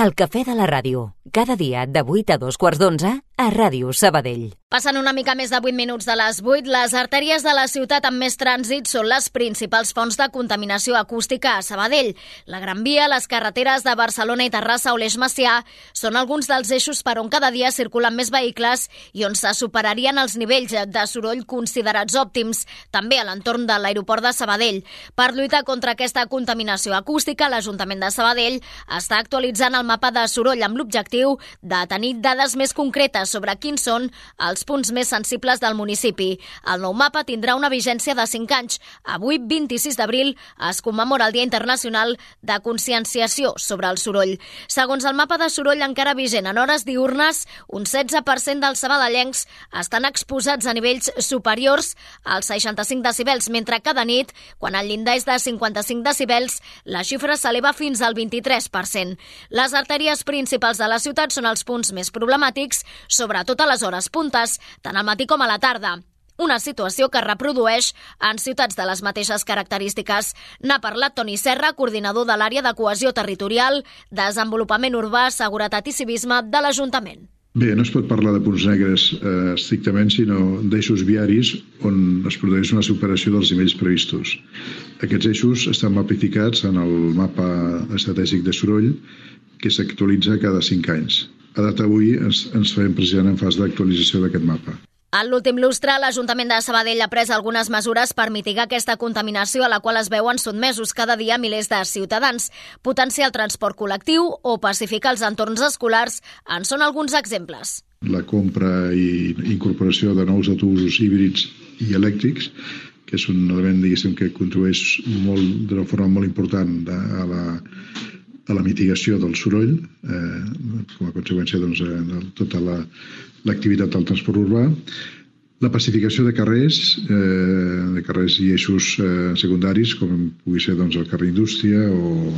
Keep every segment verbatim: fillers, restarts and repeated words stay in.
El cafè de la ràdio, cada dia de vuit a dos quarts d'onze a Ràdio Sabadell. Passen una mica més de vuit minuts de les vuit. Les artèries de la ciutat amb més trànsit són les principals fonts de contaminació acústica a Sabadell. La Gran Via, les carreteres de Barcelona i Terrassa o l'Eix Macià són alguns dels eixos per on cada dia circulen més vehicles i on se superarien els nivells de soroll considerats òptims, també a l'entorn de l'aeroport de Sabadell. Per lluitar contra aquesta contaminació acústica, l'Ajuntament de Sabadell està actualitzant el mapa de soroll amb l'objectiu de tenir dades més concretes sobre quins són els punts més sensibles del municipi. El nou mapa tindrà una vigència de cinc anys. Avui, vint-i-sis d'abril, es commemora el Dia Internacional de Conscienciació sobre el Soroll. Segons el mapa de soroll encara vigent en hores diürnes, un setze per cent dels sabadellencs estan exposats a nivells superiors als seixanta-cinc decibels, mentre que de nit, quan el llindar és de cinquanta-cinc decibels, la xifra s'eleva fins al vint-i-tres per cent. Les artèries principals de la ciutat són els punts més problemàtics, sobretot a les hores puntes, tant al matí com a la tarda. Una situació que es reprodueix en ciutats de les mateixes característiques. N'ha parlat Toni Serra, coordinador de l'àrea de cohesió territorial, desenvolupament urbà, seguretat i civisme de l'Ajuntament. Bé, no es pot parlar de punts negres eh, estrictament, sinó d'eixos viaris on es produeix una superació dels nivells previstos. Aquests eixos estan mapificats en el mapa estratègic de soroll que s'actualitza cada cinc anys. A data d'avui ens, ens trobem precisament en fase d'actualització d'aquest mapa. En l'últim lustre, l'Ajuntament de Sabadell ha pres algunes mesures per mitigar aquesta contaminació a la qual es veuen sotmesos cada dia milers de ciutadans. Potenciar el transport col·lectiu o pacificar els entorns escolars en són alguns exemples. La compra i incorporació de nous autobusos híbrids i elèctrics, que és un element, diguéssim, que contribueix molt, d'una forma molt important a la, a la mitigació del soroll, eh, com a conseqüència doncs, de tota la l'activitat del transport urbà, la pacificació de carrers, eh, de carrers i eixos eh, secundaris, com pugui ser doncs, el carrer Indústria o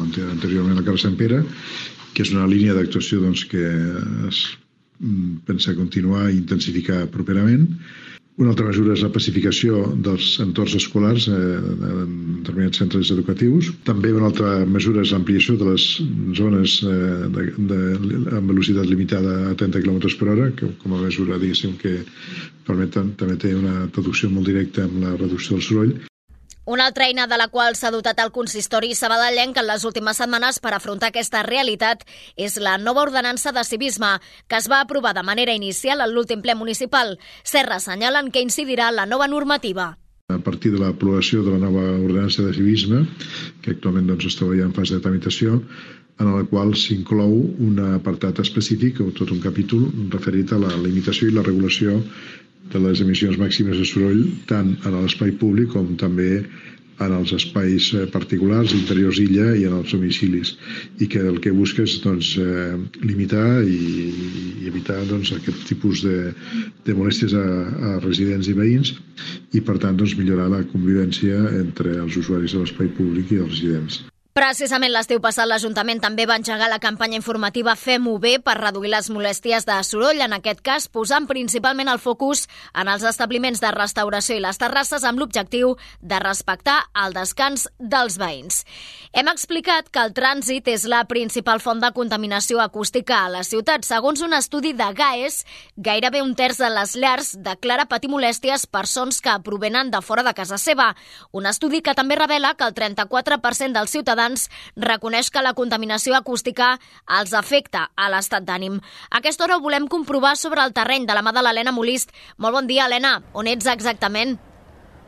anteriorment el carrer Sant Pere, que és una línia d'actuació doncs, que es pensa continuar i intensificar properament. Una altra mesura és la pacificació dels entorns escolars eh, en determinats centres educatius. També una altra mesura és l'ampliació de les zones eh, de, de, amb velocitat limitada a trenta quilòmetres per hora, que com a mesura, diguéssim, que permet, també té una traducció molt directa amb la reducció del soroll. Una altra eina de la qual s'ha dotat el consistori sabadellenc en les últimes setmanes per afrontar aquesta realitat és la nova ordenança de civisme, que es va aprovar de manera inicial en l'últim ple municipal. Serra assenyalen que incidirà la nova normativa. A partir de l'aprovació de la nova ordenança de civisme, que actualment doncs, es troba ja en fase de tramitació, en la qual s'inclou un apartat específic o tot un capítol referit a la limitació i la regulació de les emissions màximes de soroll tant en l'espai públic com també en els espais particulars, interiors d'illa i en els domicilis, i que el que busca és doncs, eh, limitar i, i evitar doncs, aquest tipus de, de molèsties a, a residents i veïns i per tant doncs, millorar la convivència entre els usuaris de l'espai públic i els residents. Precisament l'estiu passat l'Ajuntament també va engegar la campanya informativa Fem-ho bé per reduir les molèsties de soroll, en aquest cas posant principalment el focus en els establiments de restauració i les terrasses amb l'objectiu de respectar el descans dels veïns. Hem explicat que el trànsit és la principal font de contaminació acústica a la ciutat. Segons un estudi de GAES, gairebé un terç de les llars declara patir molèsties per sons que provenen de fora de casa seva. Un estudi que també revela que el trenta-quatre per cent dels ciutadans reconeix que la contaminació acústica els afecta a l'estat d'ànim. A aquesta hora ho volem comprovar sobre el terreny de la mà de l'Helena Molist. Molt bon dia, Helena. On ets exactament?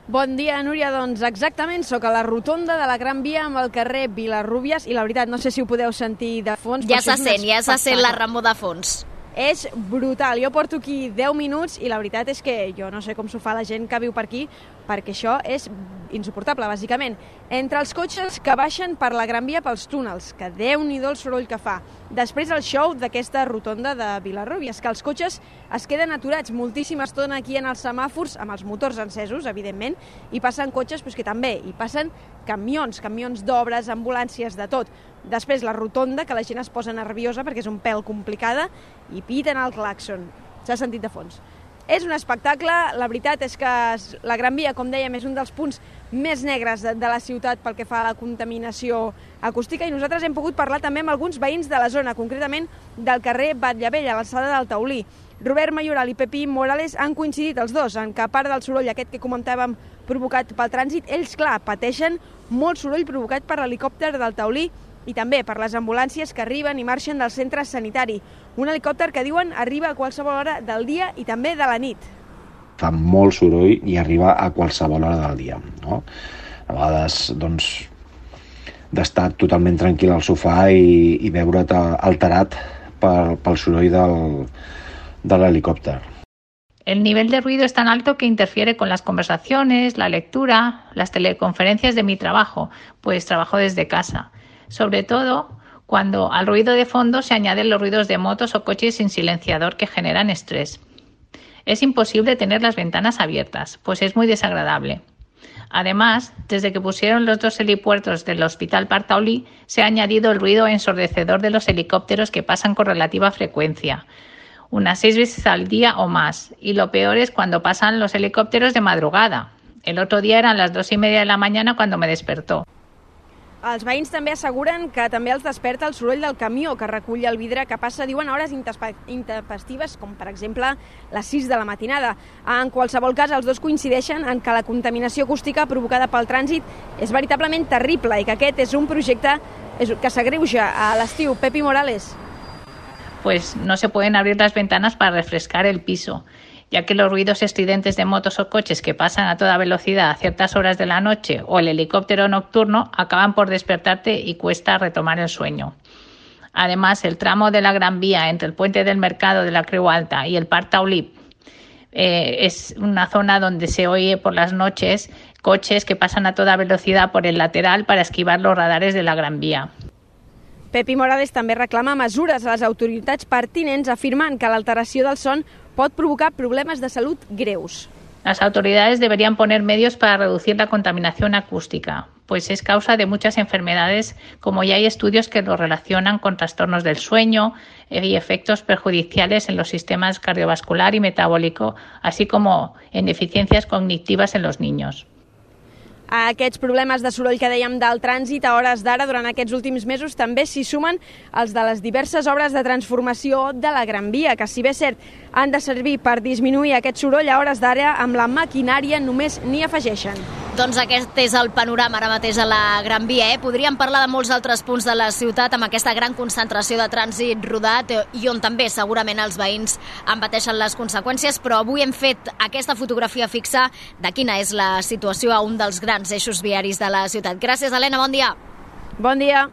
Bon dia, Núria. Doncs exactament, sóc a la rotonda de la Gran Via amb el carrer Vilarrúbies i la veritat, no sé si ho podeu sentir de fons. Ja se sent, ja se sent la remor de fons. És brutal. Jo porto aquí deu minuts i la veritat és que jo no sé com s'ho fa la gent que viu per aquí, perquè això és insuportable, bàsicament. Entre els cotxes que baixen per la Gran Via pels túnels, que déu-n'hi-do el soroll que fa. Després el show d'aquesta rotonda de Vilarrúbies, que els cotxes es queden aturats moltíssima estona aquí en els semàfors, amb els motors encesos, evidentment, i passen cotxes doncs, que també, i passen camions, camions d'obres, ambulàncies, de tot. Després la rotonda, que la gent es posa nerviosa perquè és un pèl complicada, i piten el clàxon. S'ha sentit de fons. És un espectacle, la veritat és que la Gran Via, com dèiem, és un dels punts més negres de, de la ciutat pel que fa a la contaminació acústica, i nosaltres hem pogut parlar també amb alguns veïns de la zona, concretament del carrer Batllevell, a l'alçada del Taulí. Robert Mayoral i Pepi Morales han coincidit els dos en que, a part del soroll aquest que comentàvem provocat pel trànsit, ells, clar, pateixen molt soroll provocat per l'helicòpter del Taulí i també per les ambulàncies que arriben i marxen del centre sanitari. Un helicòpter que diuen arriba a qualsevol hora del dia i també de la nit. Fa molt soroll i arriba a qualsevol hora del dia, no? A vegades, doncs, d'estar totalment tranquil al sofà i, i veure't alterat pel, pel soroll del, de l'helicòpter. El nivel de ruido es tan alto que interfiere con las conversaciones, la lectura, las teleconferencias de mi trabajo, pues trabajo desde casa. Sobre todo cuando al ruido de fondo se añaden los ruidos de motos o coches sin silenciador que generan estrés. Es imposible tener las ventanas abiertas, pues es muy desagradable. Además, desde que pusieron los dos helipuertos del Hospital Parc Taulí, se ha añadido el ruido ensordecedor de los helicópteros que pasan con relativa frecuencia, unas seis veces al día o más, y lo peor es cuando pasan los helicópteros de madrugada. El otro día eran las dos y media de la mañana cuando me despertó. Els veïns també asseguren que també els desperta el soroll del camió que recull el vidre, que passa, diuen, a hores intempestives, com per exemple les sis de la matinada. En qualsevol cas, els dos coincideixen en que la contaminació acústica provocada pel trànsit és veritablement terrible i que aquest és un projecte que s'agreuja a l'estiu. Pepi Morales. Pues no se pueden abrir las ventanas para refrescar el piso, ya que los ruidos estridentes de motos o coches que pasan a toda velocidad a ciertas horas de la noche o el helicóptero nocturno acaban por despertarte y cuesta retomar el sueño. Además, el tramo de la Gran Vía entre el puente del Mercado de la Creu Alta y el Parc Taulí eh, es una zona donde se oye por las noches coches que pasan a toda velocidad por el lateral para esquivar los radares de la Gran Vía. Pepi Morales també reclama mesures a les autoritats pertinents, afirmant que l'alteració del son pot provocar problemes de salut greus. Las autoridades deberían poner medios para reducir la contaminación acústica, pues es causa de muchas enfermedades, como ya hay estudios que lo relacionan con trastornos del sueño y efectos perjudiciales en los sistemas cardiovascular y metabólico, así como en deficiencias cognitivas en los niños. A aquests problemes de soroll que dèiem del trànsit a hores d'ara durant aquests últims mesos també s'hi sumen els de les diverses obres de transformació de la Gran Via, que si bé és cert han de servir per disminuir aquest soroll, a hores d'ara amb la maquinària només n'hi afegeixen. Doncs aquest és el panorama ara mateix a la Gran Via. Eh? Podríem parlar de molts altres punts de la ciutat amb aquesta gran concentració de trànsit rodat i on també segurament els veïns en pateixen les conseqüències, però avui hem fet aquesta fotografia fixa de quina és la situació a un dels grans eixos viaris de la ciutat. Gràcies, Helena, bon dia. Bon dia.